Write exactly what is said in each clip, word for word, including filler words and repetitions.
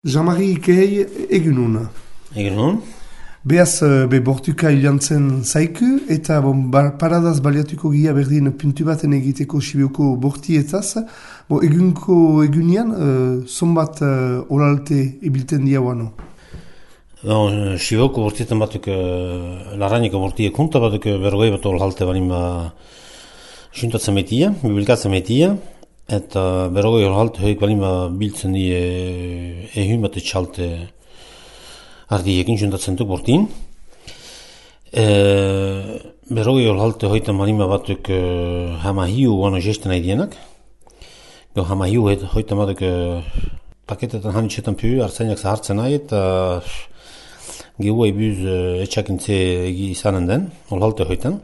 Jean-Marie Ikei egunun. Egunun. Beaz, be bortuka ilantzen zaiku, eta bon, ba, paradaz baliatuko gia berdin puntu baten egiteko Sibioko bortietaz. Bo, egunko egunian, uh, zonbat uh, oralte ibilten diauano? Bon, Sibioko bortietan batuk, uh, larrainiko bortiek kunta batuk berrogei bat oralte balima juntatzen metia, bibilkatzen metia. Eta berrogei oralte hoik balima biltzen die ehun bat etxalte ardiekin juntatzen duk bortin. E, berrogei oralte hoitan balima batuk uh, hamahiu guano gesten aidienak. Go hamahiu hoitan batuk uh, paketetan hanitxetan pu, artzainak zahartzen nahi, eta gehuai buz uh, etxakintze egi izanen den, oralte hoitan.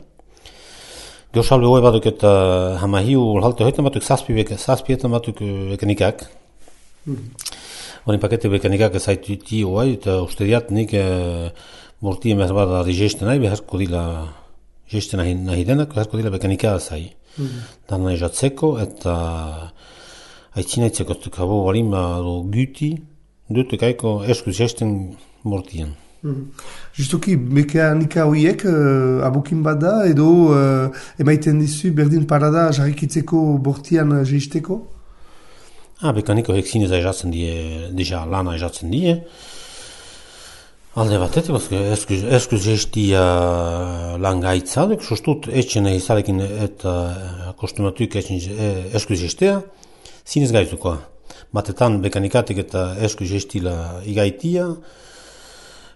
Gausalbe hoi batuk eta hamahiu halte hoitan batuk zazpietan batuk bekanikak. Horin pakete bekanikak zaituti hoi, eta uste diat nik borti emez bada di gesten nahi, beharko dila gesten nahi denak, beharko dila bekanika zai. Dan nahi jatzeko, eta aitzinatzeko tukabo balima guti, dutuk aiko eskuz gesten bortien. Justuki, mekanika horiek uh, abokin bada edo uh, emaiten dizu berdin parada jarrikitzeko bortian uh, jeisteko? Ah, mekanika horiek zinez aizatzen die, deja lana aizatzen die. Alde batetik, eskuz jeistia lan gaitzadek, sustut etxen egizarekin eta kostumatuk eskuz jeistea, zinez gaitzukoa. Batetan mekanikatik eta eskuz jeistila igaitia,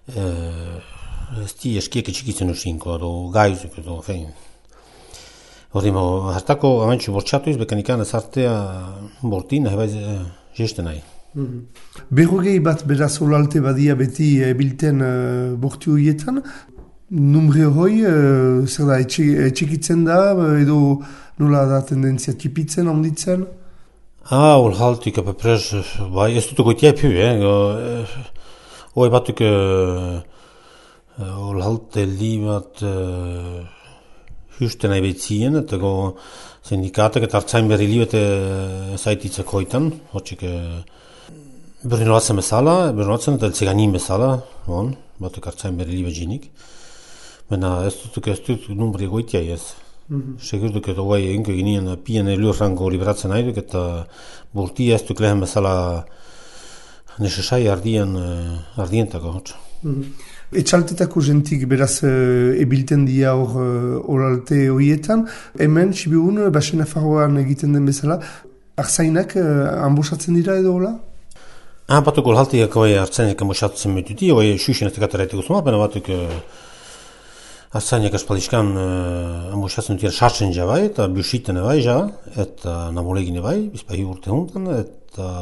ez di eskiek etxikitzen usinko, edo gaizuk, edo fein. Hori mo, hartako amantxu bortxatuiz, bekanikan ez artea bortin, nahi baiz jeste nahi. Mm-hmm. Berrogei bat beraz olalte badia beti ebilten uh, bortu horietan, numre hoi, uh, zer da, etxikitzen da, edo nola da tendentzia tipitzen, onditzen? Ah, olhaltik, apeprez, bai, ez dutu goitia epu, eh, Hoi batuk uh, olhalte li bat uh, husten nahi behitzien, eta go sindikatek eta hartzain berri li bat uh, zaititzak hoitan, hotxik uh, berri nolatzen bezala, berri nolatzen eta eltzeganin bezala, bon, batuk hartzain berri li bat jinik. Baina ez dutuk ez dutuk numbri goitia ez. Mm-hmm. Segur duk eta hoi inko ginen pien elurrango liberatzen nahi duk, eta burti ez duk lehen bezala nesesai ardien, uh, ardientako hotz. Mm-hmm. Etxaltetako jentik beraz uh, ebilten dia hor uh, oralte horietan. Hemen, Sibiun, basen afarroan egiten den bezala, arzainak uh, ambosatzen dira edo hola? Ah, batuk olhaltiak hoi arzainak ambosatzen metuti, hoi xuxen ez tekataraiteko zuma, baina batuk uh, arzainak aspaldiskan uh, ambosatzen dira sartzen jabai, eta busiten ebai ja, eta namolegin ebai, bizpahi urte hundan, eta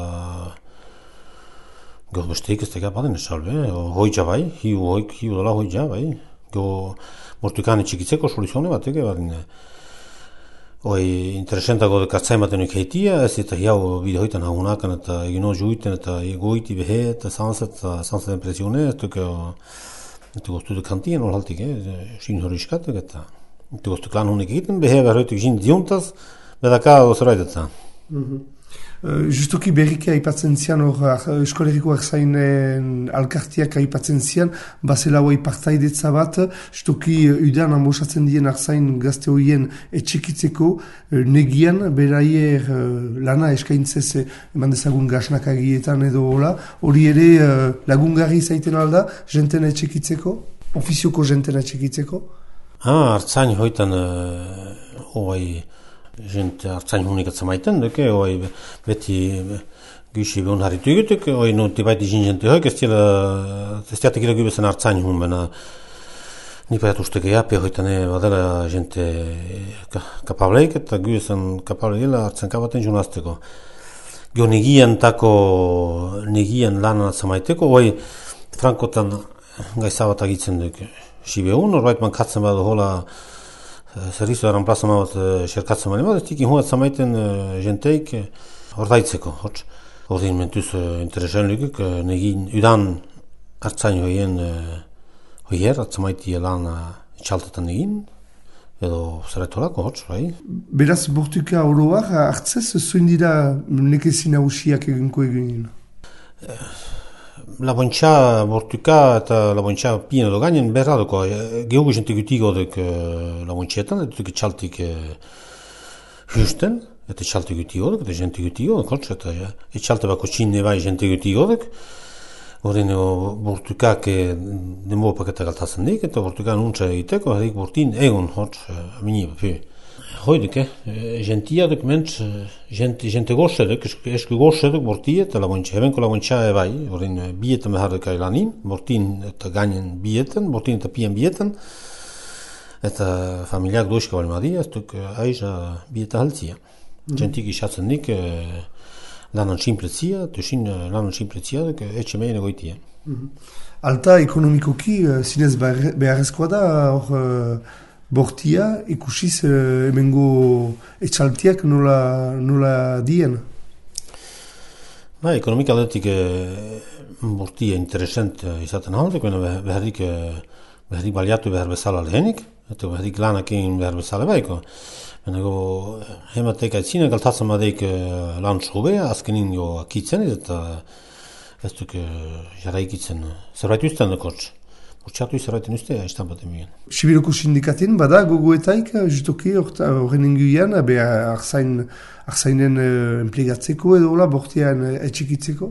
Go besteik ez teka baden esalbe, hoitza bai, hiu hoik, hiu dola hoitza bai. Go mortukane txikitzeko soluzione bat ege badin. Hoi interesentako dekatzain baten heitia, ez eta hiau bide hoitan hagunakan eta egino juiten eta egoiti behe eta sanzat eta sanzat impresione, ez tuke eta goztu dekantien olhaltik, sin horiskatek eta eta goztu klan honik egiten, behe berroituk jin ziuntaz, bedaka ozoraidetan. Uh, justuki berriki aipatzen zian hor eskoleriko arzainen alkartiak aipatzen zian, bazela hoi partaidetza bat, justuki udan ambosatzen dien arzain gazte horien etxekitzeko, uh, negian beraier uh, lana eskaintzez eman dezagun gasnakagietan edo hola, hori ere uh, lagungarri zaiten alda, jenten etxekitzeko, ofizioko jenten etxekitzeko? Ah, artzain hoitan hoi... Uh, Gente hartzain hunik atzamaiten, duke, oi beti gysi behun harritu egutuk, oi no tibaiti jin jente hoik, ez tiatek gira gybezen hartzain hun, bena nipaiat usteke japi hoitane badela jente kapableik, eta gybezen kapableik gila hartzain kabaten junazteko. Gio negian tako, negian lanan atzamaiteko, oi frankotan gaizabat agitzen duke. Sibehun, orbait man katzen badu hola Zerrizu eran plazama bat xerkatzen bani bat, ez tikin huat zamaiten jenteik ordaitzeko, hotz. Ordin mentuz interesen lukuk, negin udan hartzain hoien hoier, atzamaiti lan txaltetan negin, edo zerretolako, hotz, bai. Beraz, bortuka oroak hartzez, zoin dira nekezin hausiak eginko egin? labontxa bortuka eta labontxa pien edo gainen berra doko, gehugu jente gutigo duk labontxetan, eta duk txaltik justen, eta txalte gutigo duk, eta jente gutigo duk, eta txalte bako txinne bai jente gutigo duk, horren bortukak denbo paketa galtazen dik, eta bortukan untsa egiteko, hadik bortin egon hort, amini bapi. Hoiduk, eh, gentia duk mentz, gente, gente goxe duk, esku goxe duk bortia eta labontxa, hebenko labontxa e bai, horren bietan behar duk ailanin, bortin eta gainen bietan, bortin eta pien bietan, eta familiak doizka bali madia, ez duk aiza bieta haltzia. Mm-hmm. Gentik isatzen dik, eh, lanan simpletzia, tuxin lanan simpletzia duk, etxe mehen egoitia. Mm-hmm. Alta ekonomikoki, zinez beharrezkoa da, hor, bortia ikusiz eh, emengo etxaltiak nola, nola dien? Ba, ekonomik aldetik eh, bortia interesant izaten haldek, beharrik, eh, beharrik baliatu behar bezala lehenik, eta beharrik lanak egin behar bezala baiko. Benago, hematek aitzina galtatzen badeik eh, lan sobea, azkenin jo akitzen, eta ez duk eh, jarraikitzen zerbait usten dekotz. Urtsatu izarraiten uste, haiztan bat emien. Sibiroko sindikaten, bada, gogoetaik, justoki, horren inguian, be, arzainen uh, enplegatzeko edo, la, bortian uh, etxikitzeko?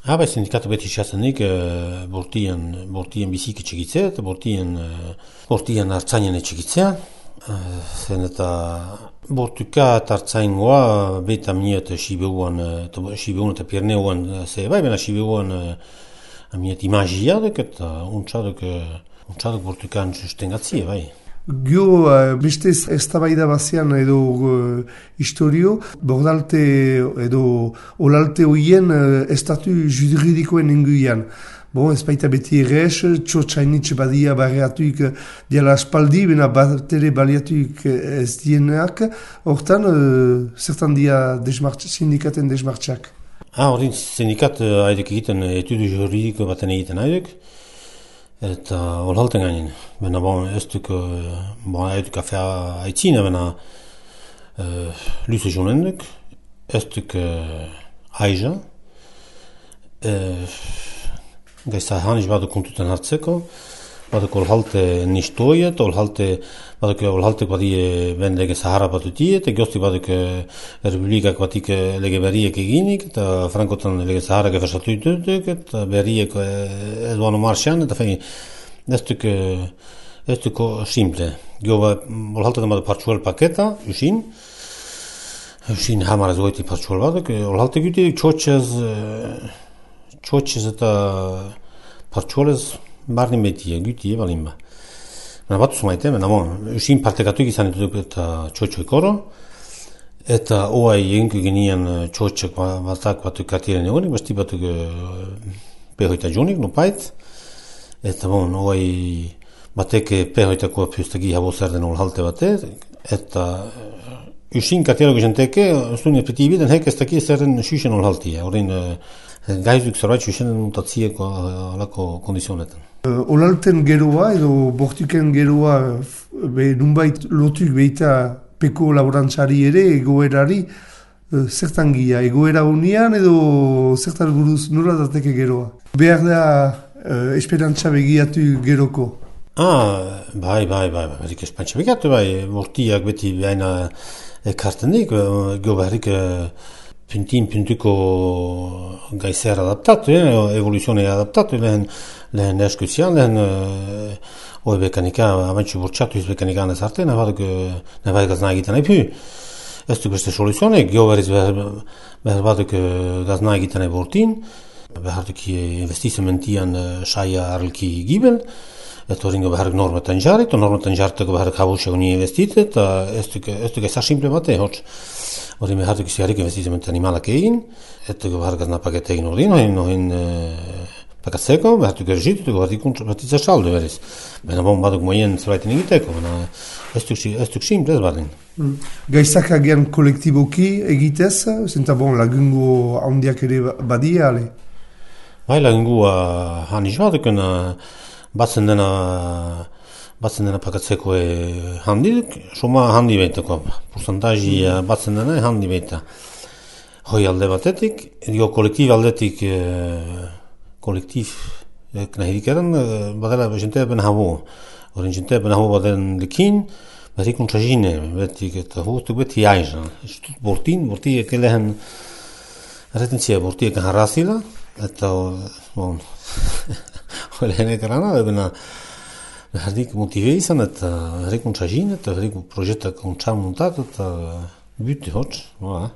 Ha, bai, sindikatu beti xazenik, uh, bortian, bortian bizik etxikitzea, eta bortian, uh, bortian artzainen etxikitzea. Uh, zen eta bortuka eta artzaingoa, beta miet Sibeuan, Sibeuan eta Pirneuan, ze, bai, bena Sibeuan, uh, Amiet imagiadek eta untxadek, untxadek bortukan sustengatzie, bai. Gio, uh, beste ez tabaida bazian edo uh, historio, bordalte edo olalte hoien uh, estatu juridikoen inguian. Bon, ez baita beti errez, txotxainitxe badia barriatuik diala aspaldi, bena batere baliatuik ez dienak, hortan, uh, zertan dia sindikaten desmartxak. Ah, horrein sindikat haidek egiten etudu juridiko baten egiten haidek, eta olhalten gainen. Bena bon, ez duk, bon, haidek afea haitzina, bena uh, luze jonendek, ez duk uh, haiza, uh, gaisa haniz baduk kontutan hartzeko, baduk olhalte nistoiet, olhalte, baduk olhalte badie ben lege Sahara batutiet, egostik baduk Republikak batik lege berriek eginik, eta Frankotan lege Sahara gefersatu ditutuk, eta berriek edoan marxan, eta fein, ez duk, ez duk simple. Gio, olhalte den baduk partxuel paketa, usin, usin hamarez goiti partxuel baduk, olhalte güti txotxez, txotxez eta partxuelez, barnin betie, gütie balimba. Mena batu zumaite, mena bon, usin partekatuik izan ditutuk eta txotxoik oro, eta oai eginko genian txotxoik batak batuk kartiren egonik, basti batuk pehoita jonik, nopait, eta bon, oai batek pehoitako piustagi habo zer den olhalte bate, eta usin kartiero gizenteke, zuen epetibi den hek ez daki zerren xuxen olhaltia, horrein gaizuk zerbait xuxen mutatzieko alako kondizionetan. Uh, olalten geroa edo bortuken geroa be, nunbait lotuk behita peko laborantzari ere, egoerari, uh, zertan gia, egoera unian edo zertan buruz nola dateke geroa? Behar da uh, esperantza begiatu geroko? Ah, bai, bai, bai, bai, berik esperantza begiatu, bai, bortiak beti behaina ekarten dik, gio beharik puntin puntuko gaizer adaptatu, eh? Evoluzione adaptatu, lehen, lehen eskuzian, lehen uh, oi bekanika, abantxu bortxatu iz bekanika anez arte, nebaduk, nebaduk gazna egiten nahi pu. Ez duk beste soluzionek, gio berriz behar, behar baduk gazna egiten nahi bortin, behar duk investimentian saia arlki gibel, eta horrengo behar normetan jarrit, normetan jarriteko behar kabuxak uni investite, eta ez duk ezar simple bate, hotz. Horren behar duk iziarik investimenti animalak egin, eta behar gazna pakete egin ordin, nohin, nohin pakatzeko, behar duk erzitu, behar duk batitza saldo berriz. Bena bon baduk moien zerbaiten egiteko, bena ez duk simple ez bardin. Mm. Gaizak agian kolektiboki egitez, zenta bon lagungo handiak ere badia, ale? Bai, lagungo haniz baduken, batzen dena, batzen dena pakatzeko e, handik, soma handi behiteko, porcentaji batzen dena handi behita. Hoi alde batetik, dio kolektibo aldetik, e, kolektif nahi dikaren, badala jentea ben habo. Horren jentea ben habo baden lekin, beti kontrajine, beti eta hurtuk beti aiza. Estut bortin, borti ekelehen retentzia borti eken harrazila, eta bon, horren ekarana, ebena herrik motive izan, eta herrik kontrajine, eta herrik projektak kontsa montat, eta büte hotz, voilà.